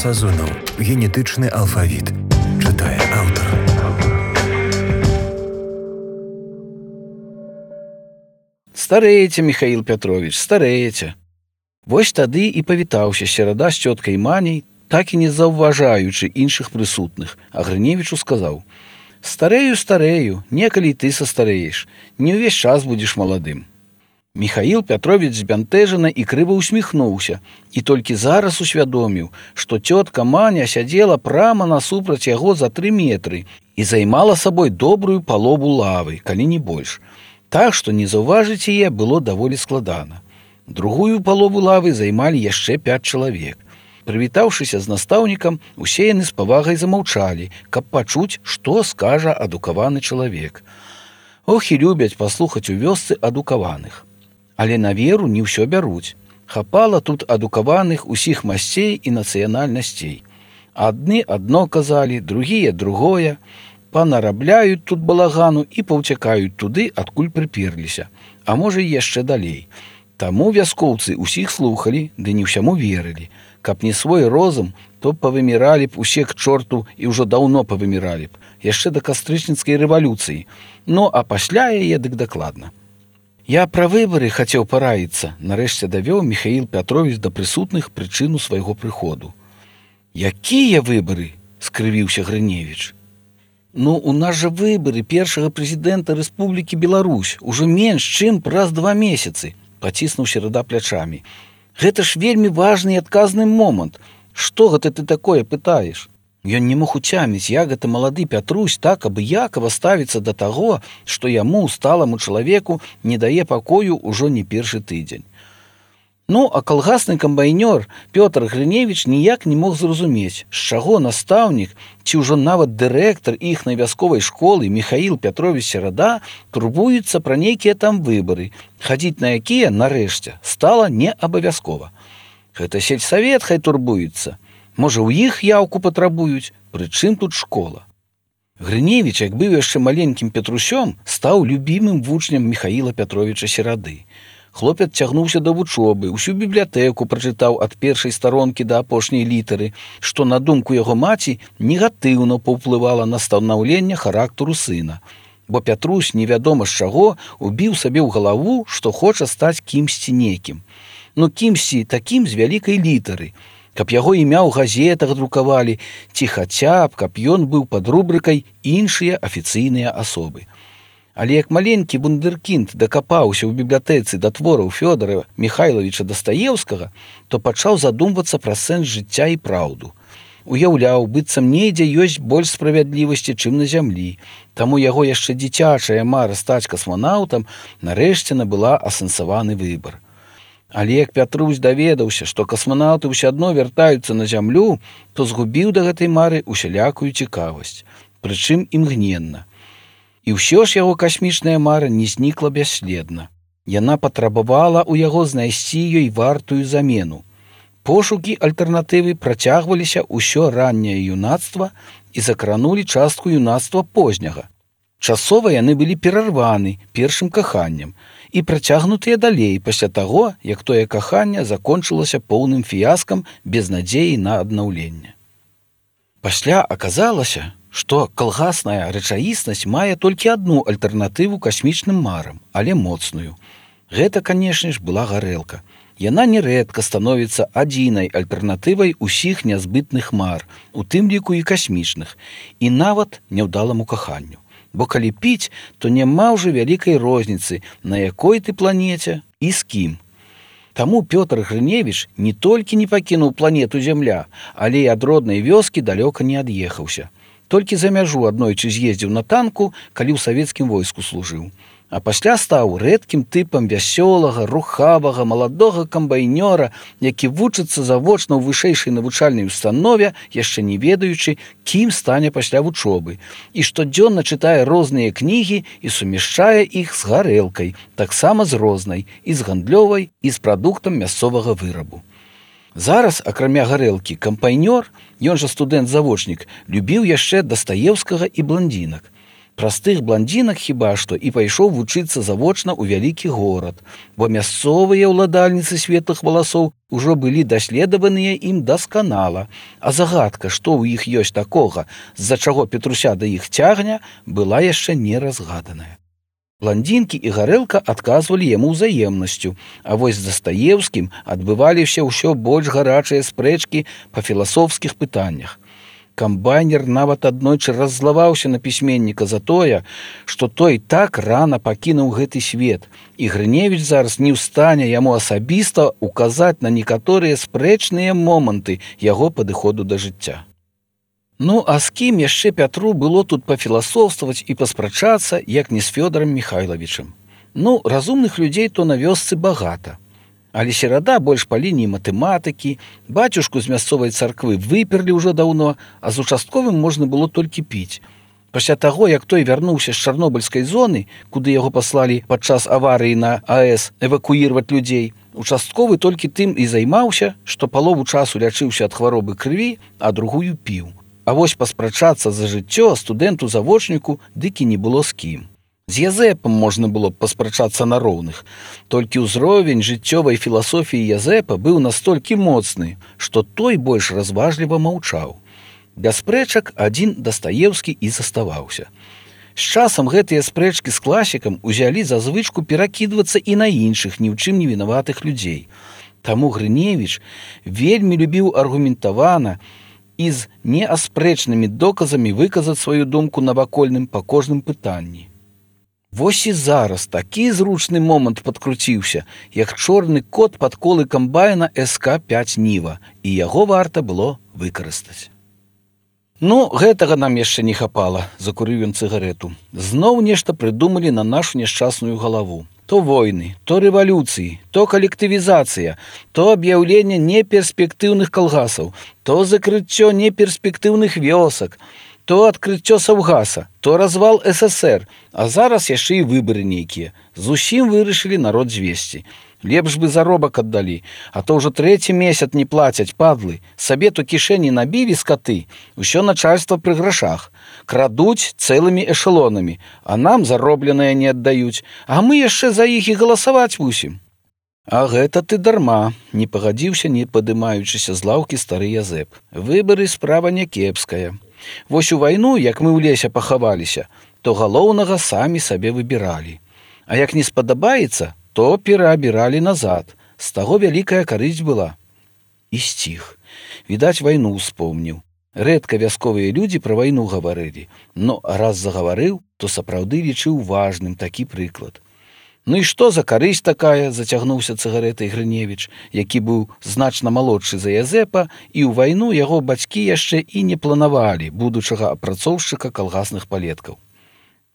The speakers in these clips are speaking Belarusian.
Сазонаў. Генетычны алфавіт. Чытае аўтар. Старееце, Михаил Петрович, старееце. Вось тады і павітаўся Серада з цёткай Маняй, так і не заўважаючы іншых прысутных, а Грыневічу сказаў: «Старею, некалі ты састарееш, не ўвесь час будзеш маладым». Михаил Петрович збянтэжана і крыва усміхнуўся, і толькі зараз усвядоміў, што цётка Маня сядзела прама насупраць яго за 3 метры і займала сабой добрую палову лавы, калі не больш. Так, што не заўважыць яе было даволі складана. Другую палову лавы займалі яшчэ 5 чалавек. Прывітаўшыся з настаўнікам, усе яны з павагай замаўчалі, каб пачуць, што скажа адукаваны чалавек. Ох, і любяць паслухаць у вёсцы адукаваных. Але на веру не ўсё бяруць. Хапала тут адукаваных усіх масцей і нацыянальнасцей. Адны адно казалі, другія другое. Панарабляюць тут балагану і паўцякаюць туды, адкуль прыперліся, а можа і яшчэ далей. Таму вяскоўцы ўсіх слухалі, ды не ўсяму верылі. Каб не свой розум, то павыміралі б усе к чорту і ўжо даўно павыміралі б, яшчэ да кастрычніцкай рэвалюцыі. Ну, а пасля яе дык дакладна. Я пра выбары хацеў параіцца, нарэшце давёў Михаил Петрович да прысутных прычыну свайго прыходу. Якія выбары? Скрывіўся Грыневіч. Ну, у нас жа выбары першага прэзідэнта Рэспублікі Беларусь ужо менш, чым праз 2 месяцы, паціснуў Серада плячамі. Гэта ж вельмі важны і адказны момант. Што гэта ты такое пытаеш? Ён не мог уцяміць, як гэта малады Пятрусь так абыякава ставіцца да таго, што яму, сталаму чалавеку, не дае пакою ўжо не першы тыдзень. Ну, а калгасны камбайнёр Пётр Грыневіч ніяк не мог зразумець, з чаго настаўнік, ці ўжо нават дырэктар іхнай вясковай школы Михаил Петрович Серада турбуецца пра нейкія там выбары, хадзіць на якія, нарэшце, стала не абавязкова. Гэта сельсавет хай турбуецца. Можа, у іх яўку патрабуюць, прычым тут школа. Грыневіч, як быў яшчэ маленькім Петрусём, стаў любімым вучнем Михаила Петровича Серады. Хлопец цягнуўся да вучобы, усю бібліятэку прачытаў ад першай старонкі да апошняй літары, што, на думку яго маці, негатыўна паўплывала на станаўленне характару сына. Бо Пятрусь, невядома з чаго, убіў сабе ў галаву, што хоча стаць кімсьці некім. Ну, кімсьці такім з вялікай літары, каб яго імя ў газетах друкавалі, ці хаця б, каб ён быў пад рубрыкай «Іншыя афіцыйныя асобы». Але як маленькі вундэркінд дакапаўся ў бібліятэцы да твораў Фёдора Михайловича Дастаеўскага, то пачаў задумвацца пра сэнс жыцця і праўду. Уяўляў, быццам недзе ёсць больш справядлівасці, чым на зямлі. Таму яго яшчэ дзіцячая мара стаць касманаўтам нарэшце набыла асэнсаваны выбар. Але як Пятрусь даведаўся, што касманаўты ўсё адно вяртаюцца на зямлю, то згубіў да гэтай мары усялякую цікавасць, прычым імгненна. І ўсё ж яго касмічная мара не знікла бясследна. Яна патрабавала ў яго знайсці ёй вартую замену. Пошукі альтэрнатывы працягваліся ўсё ранняе юнацтва і закранулі частку юнацтва позняга. Часова яны былі перарваны першым каханнем і працягнутыя далей пасля таго, як тое каханне закончылася поўным фіяскам без надзеі на аднаўленне. Пасля аказалася, што калгасная рэчаіснасць мае толькі адну альтэрнатыву касмічным марам, але моцную. Гэта, канешне ж, была гарэлка. Яна нерэдка становіцца адзінай альтэрнатывай усіх нязбытных мар, у тым ліку і касмічных, і нават няўдаламу каханню. Бо калі піць, то няма ўжо вялікай розніцы, на якой ты планеце і з кім. Таму Пётр Грыневіч не толькі не пакінуў планету Зямля, але і ад роднай вёскі далёка не ад'ехаўся. Толькі за мяжу аднойчы з'ездзіў на танку, калі ў савецкім войску служыў. А пасля стаў рэдкім тыпам вясёлага, рухавага, маладога камбайнёра, які вучыцца завочна ў вышэйшай навучальнай установе, яшчэ не ведаючы, кім стане пасля вучобы, і штодзённа чытае розныя кнігі і сумяшчае іх з гарэлкай, таксама з рознай, і з гандлёвай, і з прадуктам мясцовага вырабу. Зараз, акрамя гарэлкі, кампайнёр, ён жа студэнт-завочнік, любіў яшчэ Дастаеўскага і бландзінак. Простых бландзінак хіба што і пайшоў вучыцца завочна ў вялікі горад, бо мясцовыя ўладальніцы светлых валасоў ужо былі даследаваныя ім дасканала, а загадка, што ў іх ёсць такога, з-за чаго Петруся да іх цягне, была яшчэ не разгаданая. Бландзінкі і гарэлка адказвалі яму ўзаемнасцю, а вось з Дастаеўскім адбываліся ўсё больш гарачыя спрэчкі па філасофскіх пытаннях. Камбайнер нават аднойчы раззлаваўся на пісьменніка за тое, што той так рана пакінуў гэты свет, і Грыневіч зараз не ў стане яму асабіста указаць на некаторыя спрэчныя моманты яго падыходу да жыцця. Ну, а з кім яшчэ Пятру было тут пафіласофстваваць і паспрачацца, як не з Фёдорам Міхайлавічам? Ну, разумных людзей то на вёсцы багата. Але серада больш па лініі матэматыкі, бацюшку з мясцовай царквы выперлі ўжо даўно, а з участковым можна было толькі піць. Пасля таго, як той вярнуўся з чарнобыльскай зоны, куды яго паслалі падчас аварыі на АЭС эвакуірваць людзей, участковы толькі тым і займаўся, што палову часу лячыўся ад хваробы крыві, а другую піў. А вось паспрачацца за жыццё студэнту-завочніку дык і не было з кім. З Язэпам можна было б паспрачацца на роўных, толькі ўзровень жыццёвай філасофіі Язэпа быў настолькі моцны, што той больш разважліва маўчаў. Без спрэчак адзін Дастаеўскі і заставаўся. З часам гэтыя спрэчкі з класікам узялі за звычку перакідвацца і на іншых ні ў чым не вінаватых людзей. Таму Грыневіч вельмі любіў аргументавана і з неаспрэчнымі доказамі выказаць сваю думку навакольным па кожным пытанні. Вось і зараз такі зручны момант падкруціўся, як чорны кот пад колы камбайна СК-5 Ніва, і яго варта было выкарыстаць. Ну, гэтага нам яшчэ не хапала, закурыў ён цыгарэту. Зноў нешта прыдумалі на нашу няшчасную галаву. То войны, то рэвалюцыі, то калектывізацыя, то аб'яўленне неперспектыўных калгасаў, то закрыццё неперспектыўных вёсак, то адкрыццё Саўгаса, то развал ССР, а зараз яшчэ і выбары нейкія. Зусім вырашылі народ звесці. Лепш бы заробак аддалі, а то ўжо 3-й месяц не плацяць, падлы. Сабе то кішэні набілі скаты, усё начальства пры грашах. Крадуць цэлымі эшелонамі, а нам заробленае не аддаюць, а мы яшчэ за іх і галасаваць мусім. А гэта ты дарма, не пагадзіўся, не падымаючыся з лаўкі стары Язэп. Выбары справа някепская. Вось у вайну, як мы ў лесе пахаваліся, то галоўнага самі сабе выбіралі. А як не спадабаецца, то пераабіралі назад. З таго вялікая карысць была. І сціх. Відаць, вайну ўспомніў. Рэдка вясковыя людзі пра вайну гаварылі, но раз загаварыў, то сапраўды лічыў важным такі прыклад. Ну і што за карысць такая, зацягнуўся цыгарэтай Грыневіч, які быў значна малодшы за Язэпа, і ў вайну яго бацькі яшчэ і не планавалі будучага апрацоўшчыка калгасных палеткаў.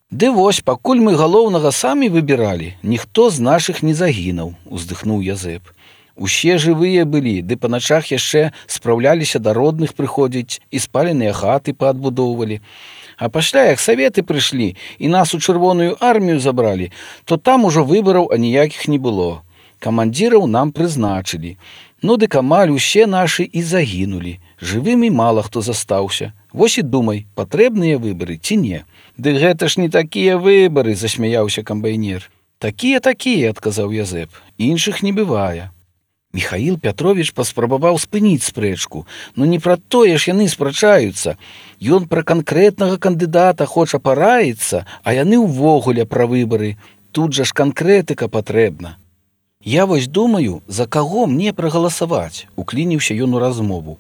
Ды вось, пакуль мы галоўнага самі выбіралі, ніхто з нашых не загінуў, уздыхнуў Язэп. Усе жывыя былі, ды па начах яшчэ спраўляліся да родных прыходзіць і спаленыя хаты паадбудоўвалі. А пасля, як саветы прыйшлі і нас у чырвоную армію забралі, то там ужо выбараў аніякіх не было. Камандзіраў нам прызначылі. Ну дык амаль усе нашы і загінулі. Жывымі мала хто застаўся. Вось і думай, патрэбныя выбары ці не. Ды гэта ж не такія выбары, засмяяўся камбайнер. Такія, адказаў Язэп. Іншых не бывае. Міхаіл Пятровіч паспрабаваў спыніць спрэчку, но не пра тое ж яны спрачаюцца. Ён пра канкрэтнага кандыдата хоча параіцца, а яны ўвогуле пра выбары. Тут жа ж канкрэтыка патрэбна. Я вось думаю, за каго мне прагаласаваць, уклініўся ён у размову.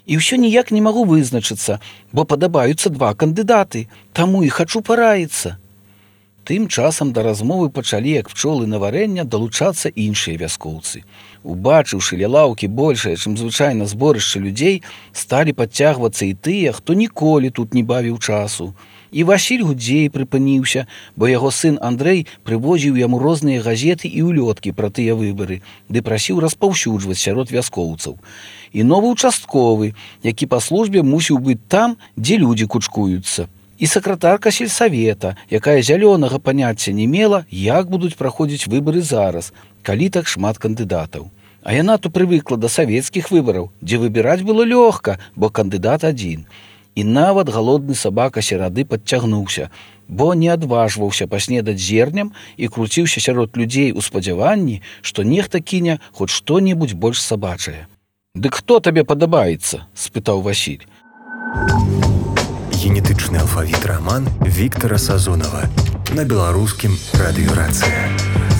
І ўсё ніяк не магу вызначыцца, бо падабаюцца 2 кандыдаты, таму і хачу параіцца. Тым часам да размовы пачалі, як пчолы на варэння, далучацца іншыя вяскоўцы. Убачыўшы ля лаўкі большае, чым звычайна зборышча людзей, сталі падцягвацца і тыя, хто ніколі тут не бавіў часу. І Васіль Гудзей прыпыніўся, бо яго сын Андрэй прывозіў яму розныя газеты і ўлёткі пра тыя выбары, ды прасіў распаўсюджваць сярод вяскоўцаў. І новы участковы, які па службе мусіў быць там, дзе людзі кучкуюцца. І сакратарка сельсавета, якая зялёнага паняцця не мела, як будуць праходзіць выбары зараз, калі так шмат кандыдатаў. А яна то прывыкла да савецкіх выбараў, дзе выбіраць было лёгка, бо кандыдат адзін. І нават галодны сабака серады падцягнуўся, бо не адважваўся паснедаць зернем і круціўся сярод людзей у спадзяванні, што нехта кіне хоць што-небудзь больш сабачае. «Дык хто табе падабаецца?» – спытаў Васіль. Генетычны алфавіт раман Віктара Сазонава на беларускім радыё «Рацыя».